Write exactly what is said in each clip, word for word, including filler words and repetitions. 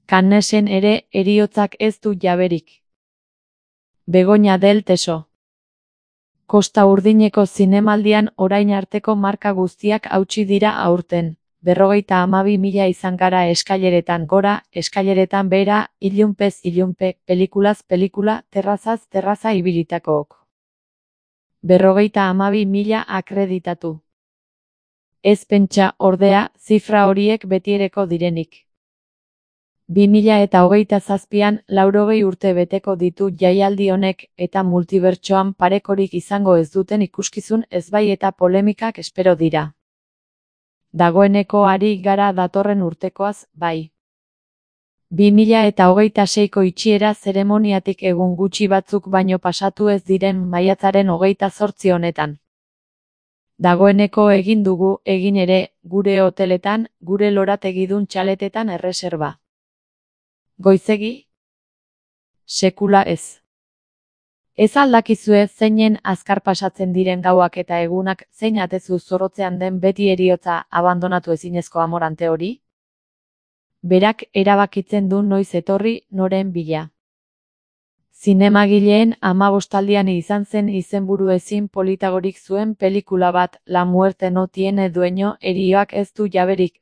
Cannesen ere heriotzak ez du jaberik. Begoña del Teso. Kosta Urdineko zinemaldian orain arteko marka guztiak hautsi dira aurten. Berrogeita hamabi mila izan gara eskaileretan gora, eskaileretan behera, ilunpez ilunpe, pelikulaz pelikula, terrazaz terraza ibilitakook. Berrogeita hamabi mila akreditatu. Ez pentsa, ordea, zifra horiek betiereko direnik. bi mila eta hogeita zazpian laurogei urte beteko ditu jaialdi honek eta multibertsoan parekorik izango ez duten ikuskizun ezbai eta polemikak espero dira. Dagoeneko ari gara datorren urtekoaz, bai. bi mila eta hogeita seiko itxiera zeremoniatik egun gutxi batzuk baino pasatu ez diren maiatzaren hogeita zortzi honetan. Dagoeneko egin dugu, egin ere, gure hoteletan, gure lorategidun txaletetan erreserba. Goizegi? Sekula ez. Ez aldakizue zeinen azkar pasatzen diren gauak eta egunak zein atezu zorrotzean den beti heriotza abandonatu ezinezko amorante hori? Berak erabakitzen du noiz etorri noren bila. Zinemagileen hamabostaldian izan zen izenburu ezin politagorik zuen pelikula bat, La muerte no tiene dueño, herioak ez du jaberik.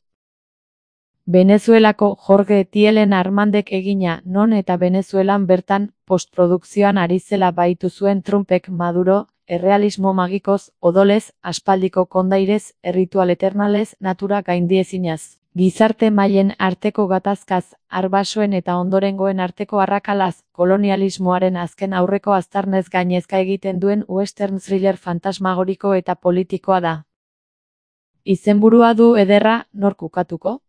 Venezuelako Jorge Tielen Armandek egina, non eta Venezuelan bertan, postprodukzioan ari zela baitu zuen Trumpek Maduro, errealismo magikoz, odolez, aspaldiko kondairez, erritual eternalez, natura gaindiezinaz. Gizarte mailen arteko gatazkaz, arbasoen eta ondorengoen arteko arrakalaz, kolonialismoaren azken aurreko aztarnez gainezka egiten duen western thriller fantasmagoriko eta politikoa da. Izenburua du ederra, nork ukatuko?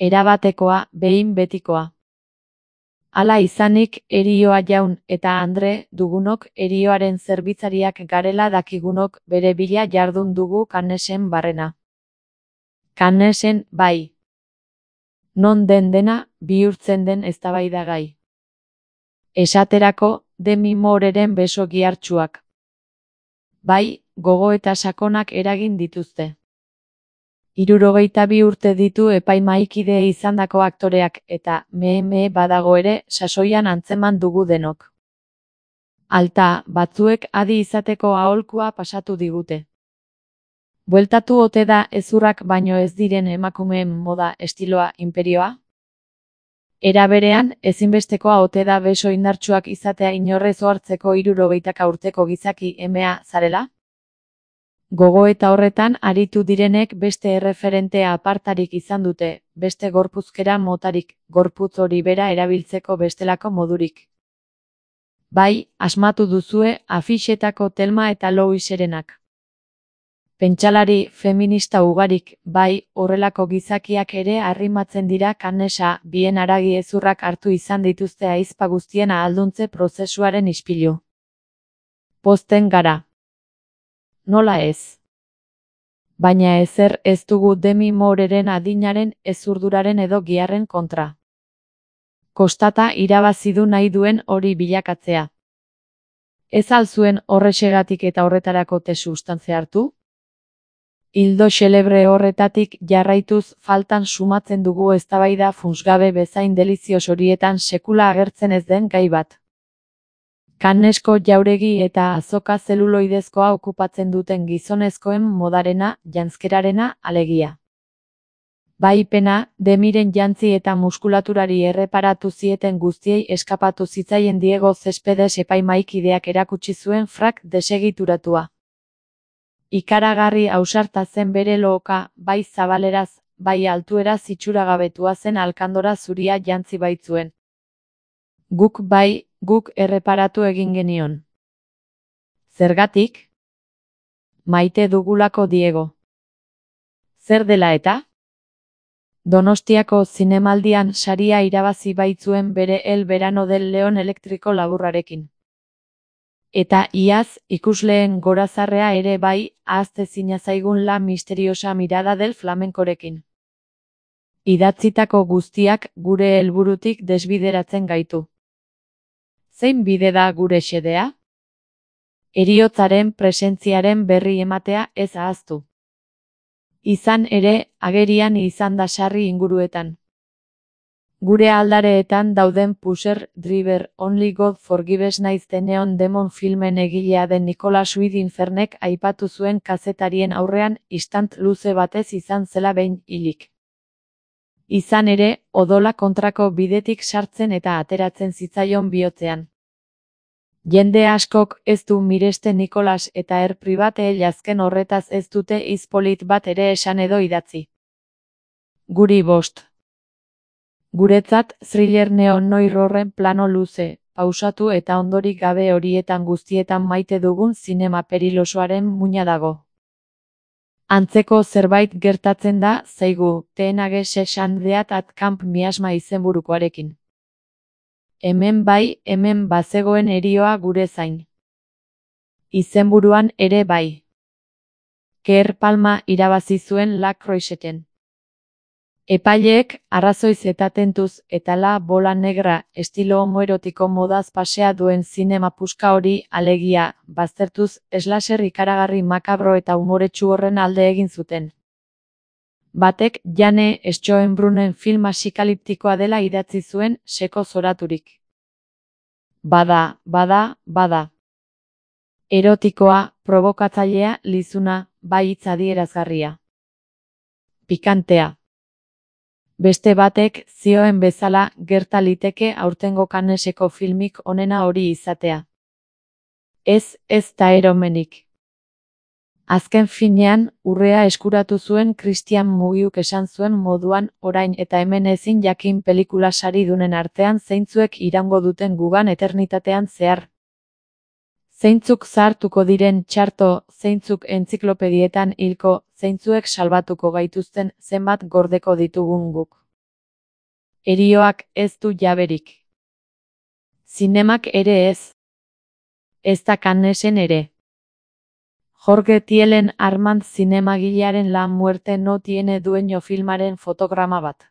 Erabatekoa, behin betikoa. Hala izanik, herioa jaun eta andre dugunok herioaren zerbitzariak garela dakigunok bere bila jardun dugu Cannesen barrena. Cannesen, bai. Non den dena, bihurtzen den eztabaidagai. Esaterako, Demi Mooreren beso gihartsuak. Bai, gogo eta sakonak eragin dituzte. Hirurogeita bi urte ditu epaimahaikide izandako aktoreak eta me-me badago ere sasoian antzeman dugu denok. Alta, batzuek adi izateko aholkua pasatu digute. Bueltatu ote da hezurrak baino ez diren emakumeen moda estiloa inperioa? Era berean, ezinbestekoa ote da beso indartsuak izatea inorrez ohartzeko hirurogeitaka urteko gizaki emea zarela? Gogo eta horretan aritu direnek beste erreferentea apartarik izan dute, beste gorpuzkera motarik, gorputz hori bera erabiltzeko bestelako modurik. Bai, asmatu duzue afixetako Telma eta Louiserenak. Pentsalari feminista ugarik, bai, horrelako gizakiak ere arrimatzen dira Cannesa, bien haragi hezurrak hartu izan dituzte ahizpa guztien ahalduntze prozesuaren ispilu. Pozten gara. Nola ez? Baina ezer ez dugu Demi Mooreren adinaren, ezurduraren edo giharren kontra. Kostata irabazi du nahi duen hori bilakatzea. Ez al zuen horrexegatik eta horretarako te sustantzia hartu? Ildo xelebre horretatik jarraituz faltan sumatzen dugu eztabaida funtsgabe bezain delizioz horietan sekula agertzen ez den gai bat. Cannesko jauregi eta azoka zeluloidezkoa okupatzen duten gizonezkoen modarena, janzkerarena, alegia. Bai pena, Demiren jantzi eta muskulaturari erreparatu zieten guztiei eskapatu zitzaien Diego Céspedes epaimahaikideak erakutsi zuen frak desegituratua. Ikaragarri ausarta zen bere lohoka, bai zabaleraz, bai altueraz itxuragabetua zen alkandora zuria jantzi baitzuen. Guk bai, guk erreparatu egin genion. Zergatik? Maite dugulako Diego. Zer dela eta? Donostiako zinemaldian saria irabazi baitzuen bere El verano del león elektriko laburrarekin. Eta iaz, ikusleen gorazarrea ere bai, ahaztezina zaigun La misteriosa mirada del flamenkorekin. Idatzitako guztiak gure helburutik desbideratzen gaitu. Zein bide da gure xedea? Heriotzaren presentziaren berri ematea ez ahaztu. Izan ere, agerian izan da sarri inguruetan. Gure aldareetan dauden Pusher, Driver, Only God Forgives naiz The Neon Demon filmen egilea den Nicholas Winding Refnek aipatu zuen kazetarien aurrean istant luze batez izan zela behin hilik. Izan ere, odola kontrako bidetik sartzen eta ateratzen zitzaion bihotzean. Jende askok ez du miresten Nicholas eta er pribate jazken horretaz ez dute hitz polit bat ere esan edo idatzi. Guri bost. Guretzat, thriller neo-noir horren plano luze, pausatu eta ondorik gabe horietan guztietan maite dugun zinema perilosoaren muina dago. Antzeko zerbait gertatzen da, zaigu, Teenage Seshandeat at Camp miasma izenburukoarekin. Hemen bai, hemen bazegoen erioa gure zain. Izenburuan ere bai. Keir Palma irabazi zuen La Croiseten. Epaileek, arrazoiz eta tentuz eta La Bola Negra estilo homoerotiko modaz pasea duen zinema puska hori, alegia, baztertuz, slasher ikaragarri makabro eta umoretsu horren alde egin zuten. Batek, Jane Schoenbrunnen film asikaliptikoa dela idatzi zuen, seko zoraturik. Bada, bada, bada. Erotikoa, provokatzailea, lizuna, bai hitz adierazgarria. Pikantea. Beste batek, zioen bezala, gerta liteke aurtengo Canneseko filmik onena hori izatea. Ez, ez da eromenik. Azken finean, urrea eskuratu zuen Christian Mugiuk esan zuen moduan, orain eta hemen ezin jakin pelikula saridunen artean zeintzuek iraungo duten gugan eternitatean zehar. Zeintzuk zahartuko diren txarto, zeintzuk entziklopedietan hilko, zeintzuek salbatuko gaituzten zenbat gordeko ditugun guk. Erioak ez du jaberik. Zinemak ere ez. Ez da Cannesen ere. Jorge Tielen Armand zinemagilearen La muerte no tiene dueño filmaren fotograma bat.